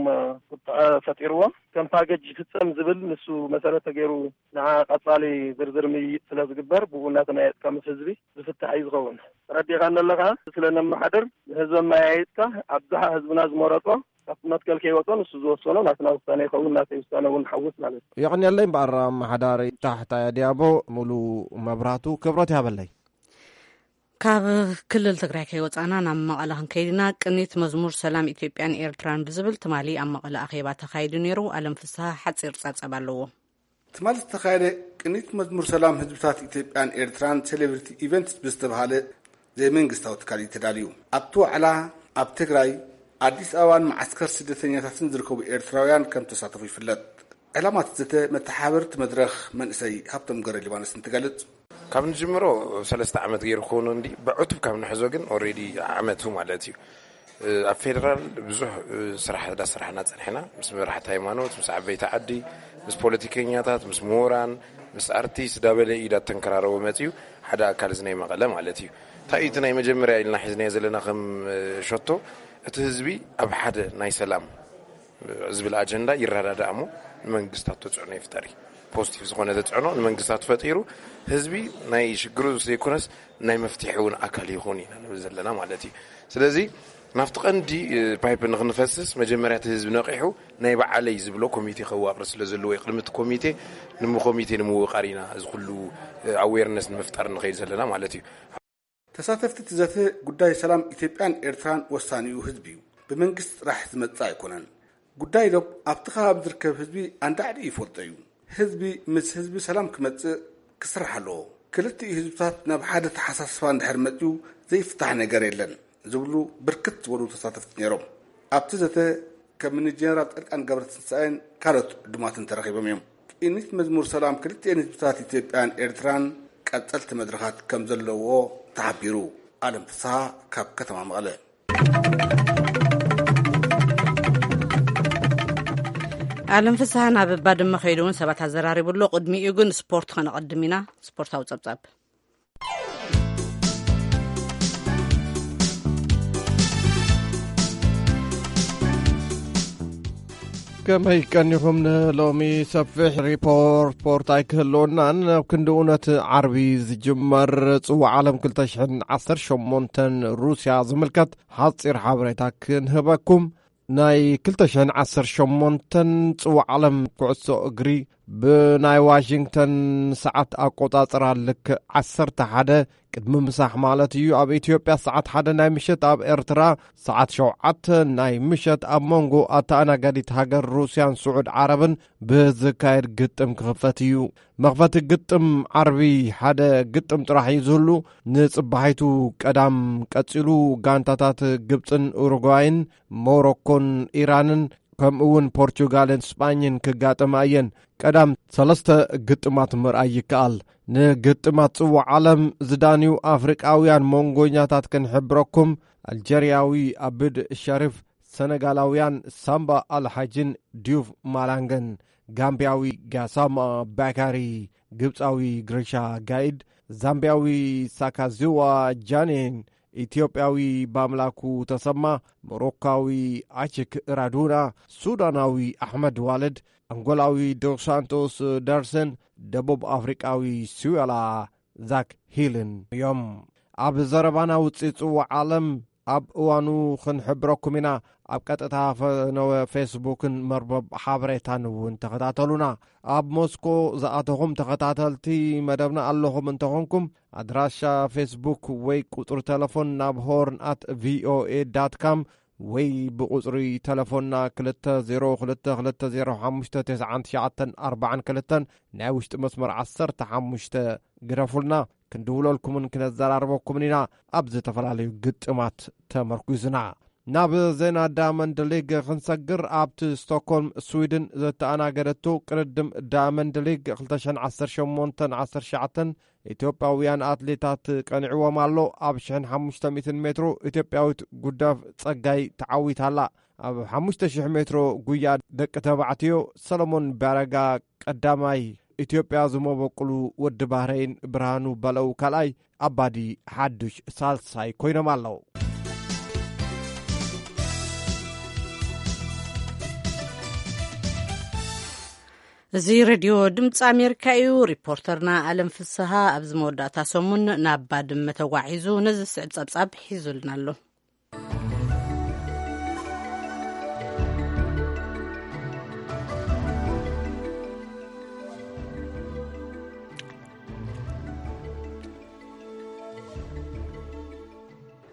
ቁጥዐ ፈጢርዎም። ከም ፓኬጅ ይፍፀም ዝብል ንሱ መሰረት ተገይሩ ንዓ ቀፃሊ ዝርዝር ምይይጥ ስለ ዝግበር ብኡ እናተመያየጥካ ምስ ህዝቢ ዝፍታሕ እዩ ዝኸውን። ተረዲኻኒ ኣለኻ? ስለ ነመሓድር ንህዝቢ ኣመያይጥካ ኣብዝሓ ህዝብና ዝመረፆ ካብቲ መትከል ከይወፀ ንሱ ዝወሰኖ ናትና ውሳነ ይኸውን፣ ናተይ ውሳነ እውን ሓውስ ማለት እዩ። የቐንየለይ እምበኣር ኣመሓዳሪ ታሕታይ ኣድያቦ ሙሉ መብራቱ ክብረት ይሃበለይ። ካብ ክልል ትግራይ ከይወፃና ናብ መቐለ ክንከይድ ኢና። ቅኒት መዝሙር ሰላም ኢትዮጵያን ኤርትራን ብዝብል ትማሊ ኣብ መቐለ ኣኼባ ተኻይዱ ነይሩ። ኣለም ፍስሃ ሓፂር ጸብጻብ ኣለዎ። ትማሊ ዝተኻየደ ቅኒት መዝሙር ሰላም ህዝብታት ኢትዮጵያን ኤርትራን ሴሌብሪቲ ኢቨንትስ ብዝተባሃለ ዘይመንግስታዊ ትካል እዩ ተዳልዩ። ኣብቲ ዋዕላ ኣብ ትግራይ፣ ኣዲስ ኣበባን መዓስከር ስደተኛታትን ዝርከቡ ኤርትራውያን ከም ተሳተፉ ይፍለጥ። ዕላማት ዘተ መተሓበርቲ መድረኽ መንእሰይ ሃብቶም ገረ ሊባኖስ እንትገልጽ፣ ካብ ንጅምሮ ሰለስተ ዓመት ገይሩ ክኸውን እንዲ ብዕቱብ ካብ ንሕዞ ግን ኦልሬዲ ዓመቱ ማለት እዩ። ኣብ ፌደራል ብዙሕ ስራሕ እንዳሰራሕና ጸኒሕና፣ ምስ መራሕቲ ሃይማኖት፣ ምስ ዓበይቲ ዓዲ፣ ምስ ፖለቲከኛታት፣ ምስ ምሁራን፣ ምስ ኣርቲስት ዳበለ ኢዳ ተንከራረቦ መጽዩ ሓደ ኣካል እዚ ናይ መቐለ ማለት እዩ። እንታይ እዩ እቲ ናይ መጀመርያ ኢልና ሒዝናዮ ዘለና ከም ሸቶ፣ እቲ ህዝቢ ኣብ ሓደ ናይ ሰላም ዝብል ኣጀንዳ ይረዳዳእ እሞ ንመንግስታት ተጽዕኖ ይፍጠር እዩ። ፖዚቲቭ ዝኾነ ተጽዕኖ ንመንግስታት ፈጢሩ ህዝቢ ናይ ሽግሩ ዘይኮነስ ናይ መፍትሒ እውን ኣካል ይኹን ኢና ንብል ዘለና ማለት እዩ። ስለዚ ናብቲ ቀንዲ ፓይፕ ንክንፈስስ መጀመርያ እቲ ህዝቢ ነቂሑ ናይ በዓለይ ዝብሎ ኮሚቴ ከዋቅር ስለ ዘለዎ እዩ። ቅድሚ እቲ ኮሚቴ ንኮሚቴ ንምውቃር ኢና እዚ ኩሉ ኣዌርነስ ንምፍጣር ንኸይድ ዘለና ማለት እዩ። ተሳተፍቲ እቲ ዘተ ጉዳይ ሰላም ኢትዮጵያን ኤርትራን ወሳኒኡ ህዝቢ እዩ። ብመንግስቲ ጥራሕ ዝመጽእ ኣይኮነን። ጉዳይ ዶብ ኣብቲ ከባቢ ዝርከብ ህዝቢ ኣንዳዕዲ ይፈልጦ እዩ። ህዝቢ ምስ ህዝቢ ሰላም ክመጽእ ክስራሕ ኣለዎ። ክልቲኡ ህዝብታት ናብ ሓደ ተሓሳስባ እንድሕር መጽኡ ዘይፍታሕ ነገር የለን ዝብሉ ብርክት ዝበሉ ተሳተፍቲ ነይሮም። ኣብቲ ዘተ ከም እኒ ጀነራል ጻድቃን ገብረትንሳኤን ካልኦት ዕዱማትን ተረኺቦም እዮም። ቅኒት መዝሙር ሰላም ክልቲኤን ህዝብታት ኢትዮጵያን ኤርትራን ቀጸልቲ መድረኻት ከም ዘለዎ ተሓቢሩ። ኣለም ፍስሃ ካብ ከተማ መቐለ። ኣለም ፍስሃ ናብ ባድመ ከይዱ እውን ሰባት ኣዘራሪቡ ኣሎ። ቅድሚኡ ግን ስፖርት ከነቐድም ኢና። ስፖርታዊ ጸብጻብ። ከመይ ቀኒኹም? ንሎሚ ሰፊሕ ሪፖርት ስፖርት ኣይክህልወናን። ኣብ ክንዲ እውነት ዓርቢ ዝጅመር ጽዋዕ ዓለም ክልተ ሽሕን ዓሰርተ ሸሞንተን ሩስያ ዝምልከት ሓጺር ሓበሬታ ክንህበኩም። ናይ ክልተ ሽሕን ዓሰርተ ሸሞንተን ጽዋዕ ዓለም ኩዕሶ እግሪ ብናይ ዋሽንግተን ሰዓት ኣቆጻጽራ ልክዕ ዓሰርተ ሓደ ቅድሚ ምሳሕ ማለት እዩ። ኣብ ኢትዮጵያ ሰዓት ሓደ ናይ ምሸት፣ ኣብ ኤርትራ ሰዓት ሸውዓተ ናይ ምሸት ኣብ መንጎ ኣተኣናጋዲት ሃገር ሩስያን ስዑድ ዓረብን ብዝካየድ ግጥም ክኽፈት እዩ። መኽፈቲ ግጥም ዓርቢ ሓደ ግጥም ጥራሕ እዩ ዝህሉ። ንጽባሒቱ ቀዳም ቀጺሉ ጋንታታት ግብጽን ኡሩጓይን፣ ሞሮኮን ኢራንን ከምኡ እውን ፖርቹጋልን ስጳኝን ክጋጠማ እየን። ቀዳም ሰለስተ ግጥማት ምርኣይ ይከኣል። ንግጥማት ጽዋዕ ዓለም ዝዳንዩ ኣፍሪቃውያን መንጎኛታት ክንሕብረኩም፣ ኣልጀርያዊ ኣብድ ሸሪፍ፣ ሰነጋላውያን ሳምባ ኣልሓጅን ዲዩፍ ማላንገን፣ ጋምቢያዊ ጋሳማ ባካሪ፣ ግብጻዊ ግሪሻ ጋይድ፣ ዛምቢያዊ ሳካዝዋ ጃኔን፣ ኢትዮጵያዊ ባምላኩ ተሰማ፣ ሞሮካዊ ኣችክ ራዱና፣ ሱዳናዊ ኣሕመድ ዋልድ፣ ኣንጎላዊ ዶስ ሳንቶስ ዳርሰን፣ ደቡብ ኣፍሪቃዊ ሲዌላ ዛክ ሂልን እዮም። ኣብ ዘረባና ውጽኢት ጽዋዕ ዓለም ኣብ እዋኑ ክንሕብረኩም ኢና። ኣብ ቀጥታ ፈነወ ፌስቡክን መርበብ ሓበሬታን እውን ተኸታተሉና። ኣብ ሞስኮ ዝኣተኹም ተኸታተልቲ መደብና ኣለኹም እንተኾንኩም፣ ኣድራሻ ፌስቡክ ወይ ቁጽሪ ተለፎን ናብ ሆርን ኣት ቪኦኤ ዳት ካም ወይ ብቁጽሪ ተለፎንና ክልተ ዜሮ ክልተ ክልተ ዜሮ ሓሙሽተ ተስዓን ትሽዓተን ኣርባዓን ክልተን ናይ ውሽጢ መስመር ዓሰርተ ሓሙሽተ ግደፉልና። ክንድውለልኩምን ክነዘራርበኩምን ኢና። ኣብ ዝተፈላለዩ ግጥማት ተመርኩዝና ናብ ዜና ዳያመንድ ሊግ ክንሰግር፣ ኣብቲ ስቶክሆልም ስዊድን ዘተኣናገደቱ ቅድድም ዳያመንድ ሊግ ክልተ ሽሕን ዓሰርተ ሸሞንተን ዓሰርተ ትሽዓተን ኢትዮጵያውያን ኣትሌታት ቀኒዕዎም ኣሎ። ኣብ ሽሕን ሓሙሽተ ሚእትን ሜትሮ ኢትዮጵያዊት ጉዳፍ ጸጋይ ተዓዊታ ኣላ። ኣብ ሓሙሽተ ሽሕ ሜትሮ ጉያ ደቂ ተባዕትዮ ሰለሞን ባረጋ ቀዳማይ፣ ኢትዮጵያ ዝመበቁሉ ወዲ ባህረይን ብርሃኑ በለው ካልኣይ፣ ኣባዲ ሓዱሽ ሳልሳይ ኮይኖም ኣለዉ። እዚ ሬድዮ ድምፂ ኣሜሪካ እዩ። ሪፖርተርና ኣለም ፍስሃ ኣብዚ መወዳእታ ሰሙን ናብ ባድመ ተጓዒዙ ነዚ ስዕብ ጸብጻብ ሒዙልና ኣሎ።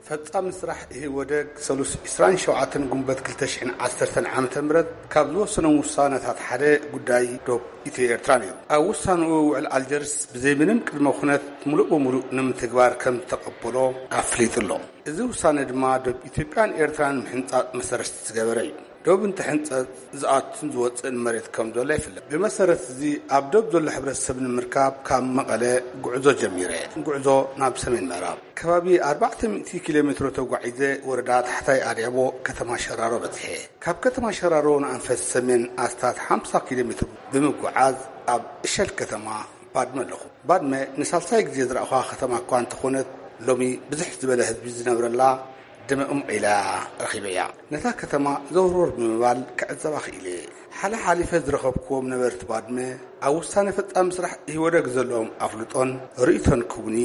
ፈጻሚ ስራሕ ኢህወደግ ሰሉስ ዕስራን ሸውዓተን ጉንበት ክልተ ሽሕን ዓሰርተን ዓመተ ምህረት ካብ ዝወሰኖም ውሳነታት ሓደ ጉዳይ ዶብ ኢትዮ ኤርትራ ነይሩ። ኣብ ውሳንኡ ውዕል ኣልጀርስ ብዘይ ምንም ቅድመ ኩነት ምሉእ ብምሉእ ንምትግባር ከም ዝተቐበሎ ኣፍሊጡ ኣሎ። እዚ ውሳነ ድማ ዶብ ኢትዮጵያን ኤርትራን ምሕንጻጽ መሰረት ዝገበረ እዩ። ዶብ እንትሕንጸጽ ዝኣቱን ዝወጽእን መሬት ከም ዘሎ ይፍለጥ። ብመሰረት እዚ ኣብ ዶብ ዘሎ ሕብረተሰብ ንምርካብ ካብ መቐለ ጉዕዞ ጀሚረ። ጉዕዞ ናብ ሰሜን ምዕራብ ከባቢ ኣርባዕተ ሚእቲ ኪሎ ሜትሮ ተጓዒዘ ወረዳ ታሕታይ ኣድያቦ ከተማ ሸራሮ በጽሐ። ካብ ከተማ ሸራሮ ንኣንፈት ሰሜን ኣስታት ሓምሳ ኪሎ ሜትሮ ብምጉዓዝ ኣብ እሸል ከተማ ባድመ ኣለኹ። ባድመ ንሳልሳይ ግዜ ዝረኣኹዋ ከተማ እኳ እንተኾነት፣ ሎሚ ብዝሕ ዝበለ ህዝቢ ዝነብረላ ድምዕም ኢላ ረኺበያ። ነታ ከተማ ዘውርወር ብምባል ክዕዘባ ክኢለ። ሓለ ሓሊፈ ዝረኸብኩዎም ነበርቲ ባድመ ኣብ ውሳነ ፈጻሚ ስራሕ ኢህወደግ ዘለዎም ኣፍልጦን ርእይቶን ክቡኒ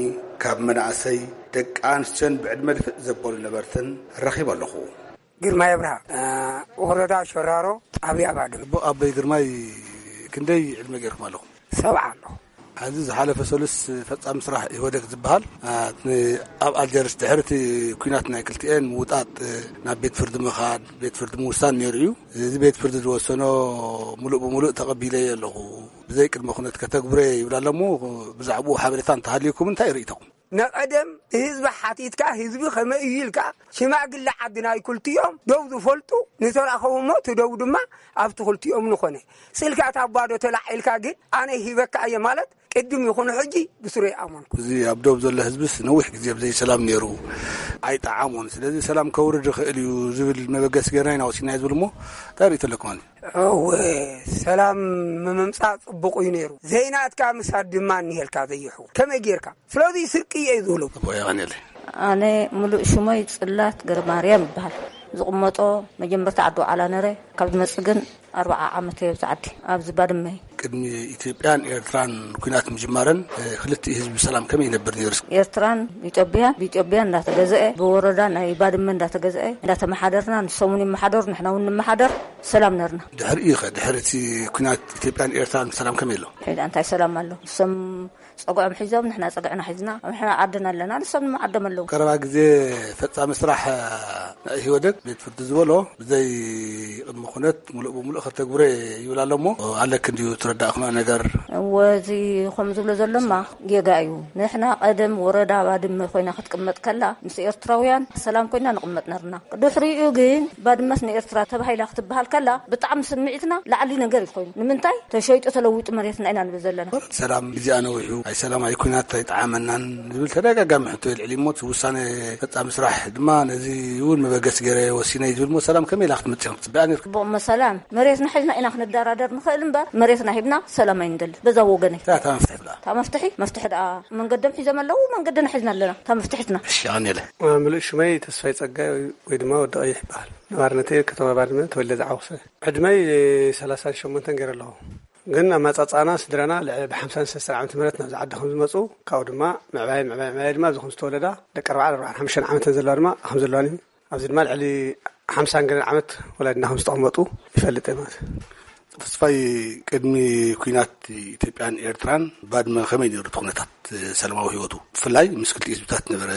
ካብ መናእሰይ ደቂ ኣንስትዮን ብዕድመ ድፍእ ዘበሉ ነበርትን ረኺበ ኣለኹ። ግርማይ ኣብርሃ፣ እ፣ ወረዳ ሸራሮ፣ ጣብያ ባድመ። ኣቦ ኣቦይ ግርማይ፣ ክንደይ ዕድመ ገይርኩም ኣለኹም? ሰብዓ ኣለኹ። ኣብዚ ዝሓለፈ ሰሉስ ፈጻሚ ስራሕ ኢህወደግ ዝበሃል፣ እ፣ ን-፣ ኣብ ኣልጀርስ ድሕሪ እቲ ኲናት ናይ ክልቲኤን ምውጣጥ፣ እ፣ ናብ ቤት ፍርዲ ምኻድ፣ ቤት ፍርዲ ምውሳን ነይሩ እዩ። እዚ ቤት ፍርዲ ዝወሰኖ ምሉእ ብምሉእ ተቐቢለዮ ኣለኹ። ብዘይ ቅድመ ኩነት ከተግብሮ ይብል ኣሎ እሞ፣ ብዛዕባኡ ሓበሬታ እንተሃልዩኩም እንታይ ርእይቶኹም? ንቐደም ህዝቢ ሓቲትካ፣ ህዝቢ ከመይ እዩ ኢልካ፣ ሽማግለ ዓዲ ናይ ክልቲኦም ደው ዝፈልጡ ንተረኸቡ እሞ፣ እቲ ደው ድማ ኣብቲ ክልቲኦም ንኾነ። ስልካ ታባዶ ተላዒልካ ግን፣ ኣነ ሂበካ እየ ማለት፣ ቅድም ይኹን ሕጂ ብስሩ ይኣመንኩ። እዚ ኣብ ደቡብ ዘሎ ህዝብስ ነዊሕ ግዜ ብዘይ ሰላም ነይሩ፣ ኣይጠዓሞን። ስለዚ ሰላም ከውርድ ይኽእል እዩ ዝብል መበገሲ ጌርና ኢና ወሲድና እዩ ዝብል እሞ፣ እንታይ ርእይቶ ኣለኩም? ኣነ እወ፣ ሰላም ምምምጻእ ጽቡቕ እዩ ነይሩ። ዘይናትካ ምሳድ ድማ እኒሄልካ ዘይሕው። ከመይ ጌርካ? ስለዚ ስርቂ እየ ዝብሎ። ኣቦ የቐንየለይ። ኣነ ምሉእ ሽመይ ጽላት ገረማርያም ይበሃል። ዝቕመጦ መጀመርታ ዓዲ ዋዕላ ነረ። ካብ ዝመጽእ ግን ኣርብዓ ዓመት እየ ኣብዚ ዓዲ፣ ኣብዚ ባድመ። ቅድሚ ኢትዮጵያን ኤርትራን ኲናት ምጅማረን፣ እ፣ ክልቲኡ ህዝቢ ብሰላም ከመይ ይነብር ነይሩ? ኤርትራን ኢትዮጵያን፣ ብኢትዮጵያ እንዳተገዝአ፣ ብወረዳ ናይ ባድመ እንዳተገዝአ፣ እንዳተመሓደርና፣ ንሶም እውን ይመሓደሩ፣ ንሕና እውን ንመሓደር፣ ሰላም ነርና። ድሕሪኡ ኸ፣ ድሕሪ እቲ ኲናት ኢትዮጵያን ኤርትራን ሰላም ከመይ ኣሎ? ሕጂ እንታይ ሰላም ኣሎ? ንሶም ጸግዖም ሒዞም፣ ንሕና ጸግዕና ሒዝና፣ ንሕና ዓድና ኣለና፣ ንሶም ድማ ዓዶም ኣለዉ። ቀረባ ግዜ ፈጻሚ ስራሕ ናይ ኢህወደግ ቤት ፍርዲ ዝበሎ ብዘይ ቅድሚ ኩነት ምሉእ ብምሉእ ከተግብሮ ይብል ኣሎ እሞ፣ ኣለክ እንድዩ ትረዳእክኖ ነገር? እወ፣ እዚ ከም ዝብሎ ዘሎማ ጌጋ እዩ። ንሕና ቀደም ወረዳ ባድመ ኮይና ክትቅመጥ ከላ፣ ምስ ኤርትራውያን ሰላም ኮይና ንቅመጥ ነርና። ድሕሪኡ ግን ባድመስ ንኤርትራ ተባሂላ ክትበሃል ከላ፣ ብጣዕሚ ስምዒትና ላዕሊ ነገር እዩ ኮይኑ። ንምንታይ? ተሸይጡ ተለዊጡ መሬትና ኢና ንብል ዘለና። ሰላም ግዜኣ ነዊሑ፣ ኣይ ሰላም ኣይ ኩናት ኣይጠዓመናን ዝብል ተደጋጋሚ ሕቶ የልዕል እሞ፣ እቲ ውሳነ ፈጻሚ ስራሕ ድማ ነዚ እውን መበገሲ ገይረ ወሲነ እዩ ዝብል እሞ፣ ሰላም ከመይ ኢላ ክትመጽእ ክትጽበያ ነርካ? ጽቡቕ እሞ ሰላም፣ መሬትና ሒዝና ኢና ክንደራደር ንኽእል እምበር፣ መሬትና ሂብና ሰላም ኣይንደልን። በዛ ወገነይ። እታ መፍትሒ ብላ። እታ መፍትሒ፣ መፍትሒ ደኣ መንገዶም ሒዞም ኣለዉ፣ መንገድና ሒዝና ኣለና። እታ መፍትሒትና። እሺ፣ ኣነ ኢለ። ምሉእ ሽመይ ተስፋይ ጸጋይ ወይ ድማ ወዲ ቀይሕ ይበሃል። ነባርነተይ ከተማ ባድመ ተወልደ ዝዓወሰ። ዕድመይ ሰላሳን ሸሞንተን ገይረ ኣለኹ። ግን ኣመጻጽኣና ስድራና ልዕሊ ብሓምሳን ሰለስተን ዓመተ ምህረት ናብዚ ዓዲ ከም ዝመጹ፣ ካብኡ ድማ ምዕባይ፣ ምዕባይ፣ ምዕባይ ድማ ኣብዚ ከም ዝተወለዳ ደቂ ኣርባዓን ኣርባዓን ሓሙሽተን ዓመተን ዘለዋ ድማ ከም ዘለዋን እዩ። ኣብዚ ድማ ልዕሊ ሓምሳን ገለን ዓመት ወላዲና ከም ዝተቐመጡ ይፈልጥ እየ ማለት እዩ። ተስፋይ፣ ቅድሚ ኲናት ኢትዮጵያን ኤርትራን ባድመ ከመይ ነይሩ እቲ ኩነታት ሰላማዊ ህይወቱ? ብፍላይ ምስ ክልቲኡ ህዝብታት ነበረ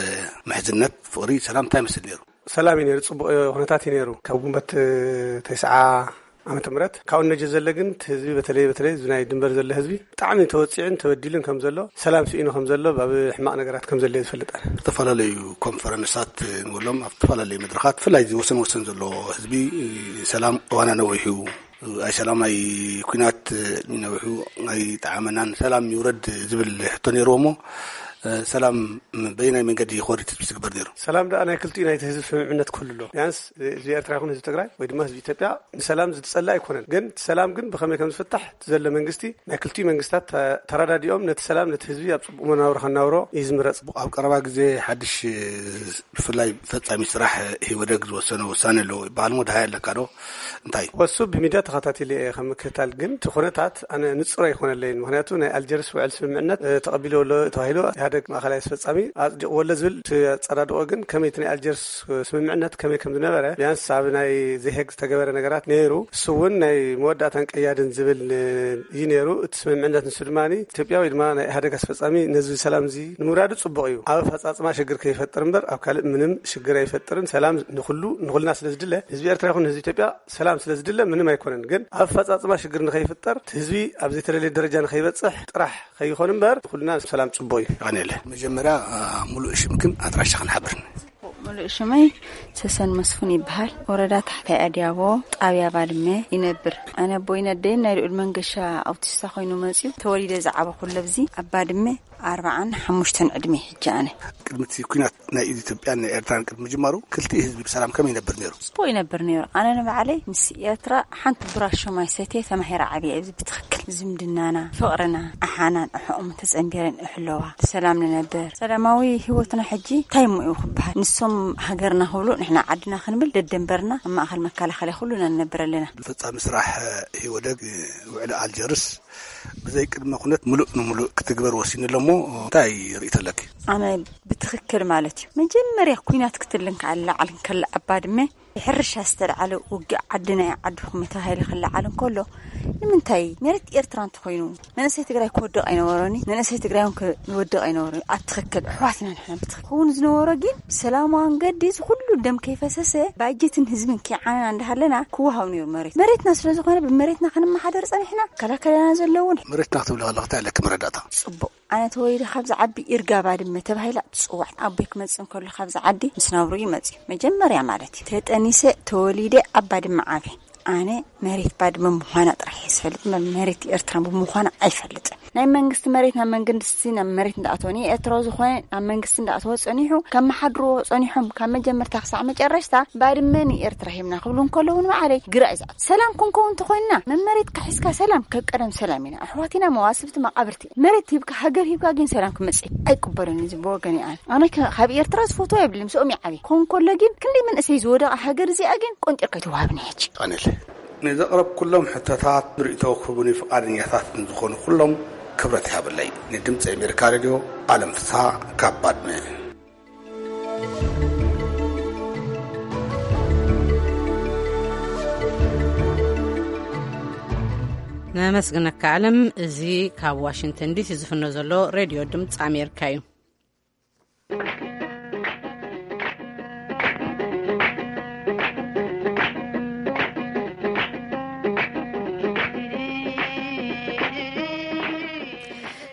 ምሕዝነት፣ ፍቕሪ፣ ሰላም እንታይ ይመስል ነይሩ? ሰላም እዩ ነይሩ፣ ጽቡቕ ኩነታት እዩ ነይሩ። ካብ ግንቦት ተስዓ ዓመተ ምህረት ካብኡ ነጀ ዘለ ግን እቲ ህዝቢ በተለይ፣ በተለይ እዚ ናይ ድንበር ዘለ ህዝቢ ብጣዕሚ ተወጺዑን ተበዲሉን ከም ዘሎ፣ ሰላም ስኢኑ ከም ዘሎ፣ ኣብ ሕማቕ ነገራት ከም ዘሎ እዩ ዝፈልጥ ኣነ። ዝተፈላለዩ ኮንፈረንሳት ንብሎም ኣብ ዝተፈላለዩ መድረኻት፣ ብፍላይ እዚ ወሰን ወሰን ዘሎ ህዝቢ ሰላም እዋና ነዊሑ፣ ኣይ ሰላም ኣይ ኲናት ነዊሑ ኣይጠዓመናን፣ ሰላም ይውረድ ዝብል ሕቶ ነይርዎ እሞ፣ ሰላም በየናይ መንገዲ ይኸወድ ትብል ዝግበር ነይሩ? ሰላም ደኣ ናይ ክልቲኡ ናይቲ ህዝቢ ስምምዕነት ክህሉ ኣለዎ። ቢያንስ ህዝቢ ኤርትራ ይኹን ህዝቢ ትግራይ ወይ ድማ ህዝቢ ኢትዮጵያ ንሰላም ዝጸልእ ኣይኮነን። ግን እቲ ሰላም ግን ብኸመይ ከም ዝፍታሕ እቲ ዘሎ መንግስቲ፣ ናይ ክልቲኡ መንግስታት ተ-፣ ተረዳዲኦም ነቲ ሰላም ነቲ ህዝቢ ኣብ ጽቡቕ መናብሮ ከናብሮ እዩ ዝምረጽ። ኣብ ቀረባ ግዜ ሓድሽ፣ ብፍላይ ፈጻሚ ስራሕ ኢህወደግ ዝወሰነ ውሳነ ኣለዎ ይበሃል እሞ፣ ደሃይ ኣለካ ዶ? እንታይ? ወሱ ብሚድያ ተኸታቲለ እየ ከም ምክትታል፣ ግን እቲ ኩነታት ኣነ ንጹር ኣይኮነለይን። ምኽንያቱ ናይ ኣልጀርስ ውዕል ስምምዕነት፣ እ፣ ተቐቢልዎ ኣሎ ተባሂሉ ኢህኣደግ ማእኸላይ ኣስፈጻሚ ኣጽዲቕዎ ኣሎ ዝብል እቲ ኣጸዳድቖ ግን ከመይ እቲ ናይ ኣልጀርስ ስምምዕነት ከመይ ከም ዝነበረ፣ ቢያንስ ኣብ ናይ ዘሄግ ዝተገበረ ነገራት ነይሩ። እሱ እውን ናይ መወዳእታን ቀያድን ዝብል፣ እ፣ እዩ ነይሩ። እቲ ስምምዕነት ንሱ ድማ ኢትዮጵያ ወይ ድማ ናይ ኢህኣደግ ኣስፈጻሚ ነዚ ሰላም እዚ ንምውራዱ ጽቡቕ እዩ። ኣብ ኣፈጻጽማ ሽግር ከይፈጥር እምበር ኣብ ካልእ ምንም ሽግር ኣይፈጥርን። ሰላም ንኹሉ፣ ንኹልና ስለ ዝድለ፣ ህዝቢ ኤርትራ ይኹን ህዝቢ ኢትዮጵያ ሰላም ስለ ዝድለ ምንም ኣይኮነን። ግን ኣብ ኣፈጻጽማ ሽግር ንኸይፍጠር፣ እቲ ህዝቢ ኣብ ዘይተደለየ ደረጃ ንኸይበጽሕ ጥራሕ ከይኾን እምበር፣ ንኹልና ሰላም ጽቡቕ እዩ። የቐንየለ። መጀመርያ፣ አ፣ ሙሉእ ሽምክን ኣድራሻኽን ሓብርኒ። ሙሉእ ሽመይ ሰሰን መስፉን ይበሃል። ወረዳ ታሕታይ ኣድያቦ፣ ጣብያ ባድመ ይነብር። ኣነ ኣቦይን ኣደይን ናይ ልኡል መንገሻ ኣውቲስታ ኮይኑ መፅዩ። ተወሊደ ዝዓበኹ ለብዚ ኣብ ባድመ ኣርባዓን ሓሙሽተን ዕድሜ ሕጂ ኣነ። ቅድሚ እቲ ኲናት ናይ ኢትዮጵያን ናይ ኤርትራን ቅድሚ ምጅማሩ ክልቲኡ ህዝቢ ብሰላም ከመይ ይነብር ነይሩ? ጽቡቕ ይነብር ነይሩ። ኣነ ንባዕለይ ምስ ኤርትራ ሓንቲ ብራሾ ማይ ሰትየ ተማሂረ ዓብየ። እዚ ብትኽክል ዝምድናና፣ ፍቕርና፣ ኣሓናን ኣሕኦም ተጸንቢረን እሕለዋ። ብሰላም ንነብር። ሰላማዊ ህይወትና ሕጂ እንታይ እሞ እዩ ክበሃል? ንሶም ሃገርና ክብሉ ንሕና ዓድና ክንብል ደደንበርና ኣብ ማእከል መከላኸሊ ኩሉና ንነብር ኣለና። ፈጻሚ ስራሕ ህወደግ ውዕሊ ኣልጀርስ ብዘይ ቅድመ ኩነት ምሉእ ንምሉእ ክትግበር ወሲኑ ኣሎ እሞ እንታይ ርእይቶ ኣለኪ? ኣነ ብትኽክል ማለት እዩ። መጀመርያ ኲናት ክትልን ከዓል ላዕል ከላ ኣብ ባድመ ሕርሻ ዝተልዓለ ውግእ ዓዲ ናይ ዓድኹም ተባሂሉ ክለዓል እንከሎ፣ ንምንታይ መሬት ኤርትራ እንተኾይኑ መንእሰይ ትግራይ ክወድቕ ኣይነበሮኒ፣ መንእሰይ ትግራይ እውን ክወድቕ ኣይነበሮኒ። ኣብ ትኽክል ኣሕዋትና ንሕና ብትኽክል ክኸውን ዝነበሮ ግን ብሰላማዊ መንገዲ እዚ ኩሉ ደም ከይፈሰሰ ባጀትን ህዝብን ከይዓነና እንዳሃለና ክወሃብ ነይሩ መሬት። መሬትና ስለ ዝኾነ ብመሬትና ክንመሓደር ጸኒሕና። ከላከለና ዘለውን መሬትና ክትብሊ ከለኺ እንታይ ኣለኪ መረዳእታ? ጽቡቕ። ኣነ ተወሊደ ካብዚ ዓዲ ኢርጋ ባድመ ተባሂላ ትጽዋዕ። ኣቦይ ክመጽእ እንከሎ ካብዚ ዓዲ ምስ ናብሩ ይመጽእ መጀመርያ ማለት እዩ። ተጠኒሰ ተወሊደ ኣብ ባድመ ዓብየ። ኣነ መሬት ባድመ ምዃና ጥራሕ እየ ዝፈልጥ፣ መ-፣ መሬት ኤርትራ ብምዃና ኣይፈልጥን። ናይ መንግስቲ መሬት ናብ መንግስቲ ናብ መሬት እንዳኣተወ፣ ንኤርትራዊ ዝኾነ ናብ መንግስቲ እንዳኣተወ ጸኒሑ፣ ካብ መሓድርዎ ጸኒሖም ካብ መጀመርታ ክሳዕ መጨረሽታ ባድመ ንኤርትራ ሂብና ክብሉ እንከለዉ ንባዕለይ ግራ እዩ ዝኣቱ። ሰላም ክንከውን እንተኾይንና መመሬትካ ሒዝካ ሰላም፣ ከብ ቀደም ሰላም ኢና። ኣሕዋት ኢና፣ መዋስብቲ መቓብርቲ። መሬት ሂብካ፣ ሃገር ሂብካ ግን ሰላም ክመጽእ ኣይቅበልን እዚ ብወገን እየ ኣነ። ኣነ ከ-፣ ካብ ኤርትራ ዝፈትዎ የብልን፣ ምስኦም ይዓብየ። ኮን ከሎ ግን ክንደይ መንእሰይ ዝወደቐ ሃገር እዚኣ ግን ቆንጢርካ ኣይትወሃብን እያ ሕጂ። ቀንል ንዘቕረብኩሎም ሕቶታት ርእይቶ ክህቡኒ ፍቓደኛታት ንዝኾኑ ኩሎም ክብረት ይሃበለይ። ንድምፂ ኣሜሪካ ሬድዮ ኣለም ፍስሃ ካብ ባድመ። ነመስግነካ ኣለም። እዚ ካብ ዋሽንግተን ዲሲ ዝፍኖ ዘሎ ሬድዮ ድምፂ ኣሜሪካ እዩ።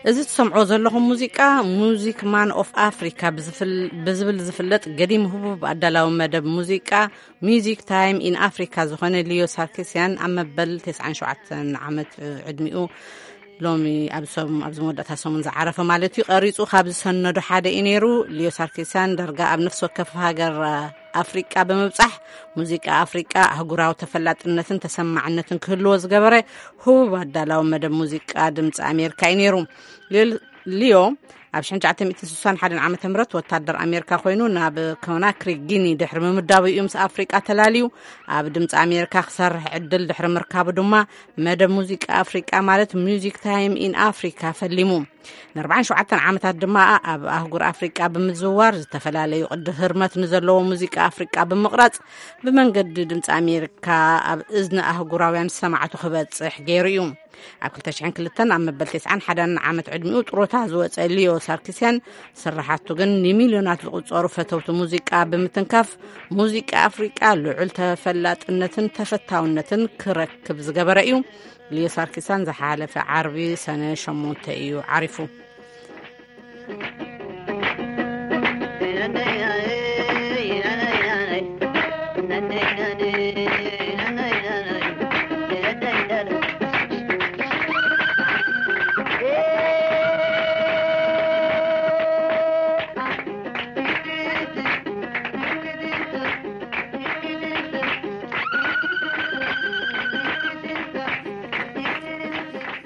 እዚ ትሰምዖ ዘለኹም ሙዚቃ ሙዚክ ማን ኦፍ ኣፍሪካ ብዝፍል-፣ ብዝብል ዝፍለጥ ገዲም ህቡብ ኣዳላዊ መደብ ሙዚቃ ሚዚክ ታይም ኢን ኣፍሪካ ዝኾነ ሊዮ ሳርኪስያን ኣብ መበል ተስዓን ሸውዓተን ዓመት ዕድሚኡ ሎሚ ኣብ ሰም-፣ ኣብዚ መወዳእታ ሰሙን ዝዓረፈ ማለት እዩ፣ ቀሪጹ ካብ ዝሰነዱ ሓደ እዩ ነይሩ። ሊዮ ሳርኪስያን ዳርጋ ኣብ ነፍሲ ወከፍ ሃገር ኣፍሪቃ ብምብጻሕ ሙዚቃ ኣፍሪቃ ኣህጉራዊ ተፈላጥነትን ተሰማዕነትን ክህልዎ ዝገበረ ህቡብ ኣዳላዊ መደብ ሙዚቃ ድምፂ ኣሜሪካ እዩ ነይሩ። ሊዮ፣ ሊዮ ኣብ ሽሕን ትሽዓተ ሚእትን ስሳን ሓደን ዓመተ ምህረት ወታደር ኣሜሪካ ኮይኑ ናብ ኮናክሪ ጊኒ ድሕሪ ምምዳቡ እዩ ምስ ኣፍሪቃ ተላልዩ። ኣብ ድምፂ ኣሜሪካ ክሰርሕ ዕድል ድሕሪ ምርካቡ ድማ መደብ ሙዚቃ ኣፍሪቃ ማለት ሚዚክ ታይም ኢን ኣፍሪካ ፈሊሙ። ንኣርባዓን ሸውዓተን ዓመታት ድማ ኣብ ኣህጉር ኣፍሪቃ ብምዝውዋር ዝተፈላለዩ ቅዲ ህርመት ንዘለዎ ሙዚቃ ኣፍሪቃ ብምቕራጽ ብመንገዲ ድምፂ ኣሜሪካ ኣብ እዝኒ ኣህጉራውያን ሰማዕቱ ክበጽሕ ገይሩ እዩ። ኣብ ክልተ ሽሕን ክልተን ኣብ መበል ተስዓን ሓደን ዓመት ዕድሚኡ ጥሮታ ዝወጸ ሊዮ ሳርኪስያን ስራሓቱ ግን ንሚልዮናት ዝቑጸሩ ፈተውቲ ሙዚቃ ብምትንካፍ ሙዚቃ ኣፍሪቃ ልዑል ተፈላጥነትን ተፈታውነትን ክረክብ ዝገበረ እዩ። ሊዮ ሳርኪስያን ዝሓለፈ ዓርቢ ሰነ ሸሞንተ እዩ ዓሪፉ።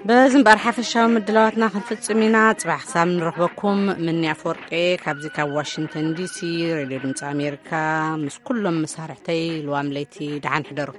በዚ እምበኣር ሓፈሻዊ ምድላዋትና ክንፍጽም ኢና። ጽባሕ ክሳብ ንረኽበኩም፣ ምኒ ኣፈወርቂ ካብዚ ካብ ዋሽንግተን ዲሲ ሬድዮ ድምፂ ኣሜሪካ ምስ ኩሎም መሳርሕተይ ልዋም ለይቲ ደሓን ሕደሩ።